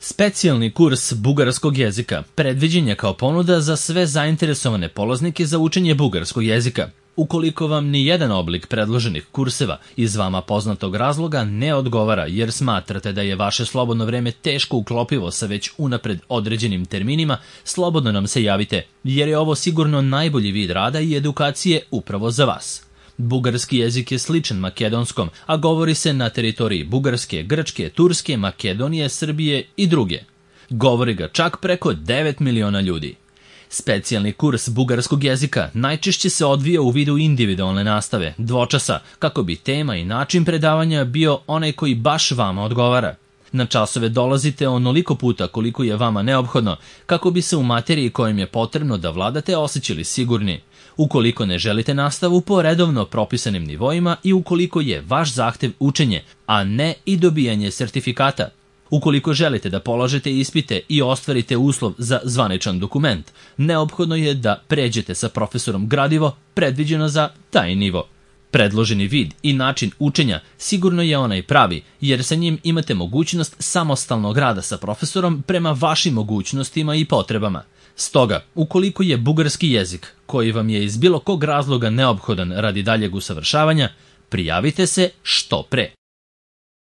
Specijalni kurs bugarskog jezika predviđen je kao ponuda za sve zainteresovane polaznike za učenje bugarskog jezika. Ukoliko vam ni jedan oblik predloženih kurseva iz vama poznatog razloga ne odgovara jer smatrate da je vaše slobodno vreme teško uklopivo sa već unapred određenim terminima, slobodno nam se javite jer je ovo sigurno najbolji vid rada i edukacije upravo za vas. Bugarski jezik je sličan makedonskom, a govori se na teritoriji Bugarske, Grčke, Turske, Makedonije, Srbije i druge. Govori ga čak preko 9 miliona ljudi. Specijalni kurs bugarskog jezika najčešće se odvija u vidu individualne nastave, dvočasa, kako bi tema i način predavanja bio onaj koji baš vama odgovara. Na časove dolazite onoliko puta koliko je vama neophodno, kako bi se u materiji kojim je potrebno da vladate osjećali sigurni. Ukoliko ne želite nastavu po redovno propisanim nivoima i ukoliko je vaš zahtev učenje, a ne i dobijanje sertifikata. Ukoliko želite da polažete ispite i ostvarite uslov za zvaničan dokument, neophodno je da pređete sa profesorom gradivo predviđeno za taj nivo. Predloženi vid i način učenja sigurno je onaj pravi, jer sa njim imate mogućnost samostalnog rada sa profesorom prema vašim mogućnostima i potrebama. Stoga, ukoliko je bugarski jezik, koji vam je iz bilo kog razloga neophodan radi daljeg usavršavanja, prijavite se što pre.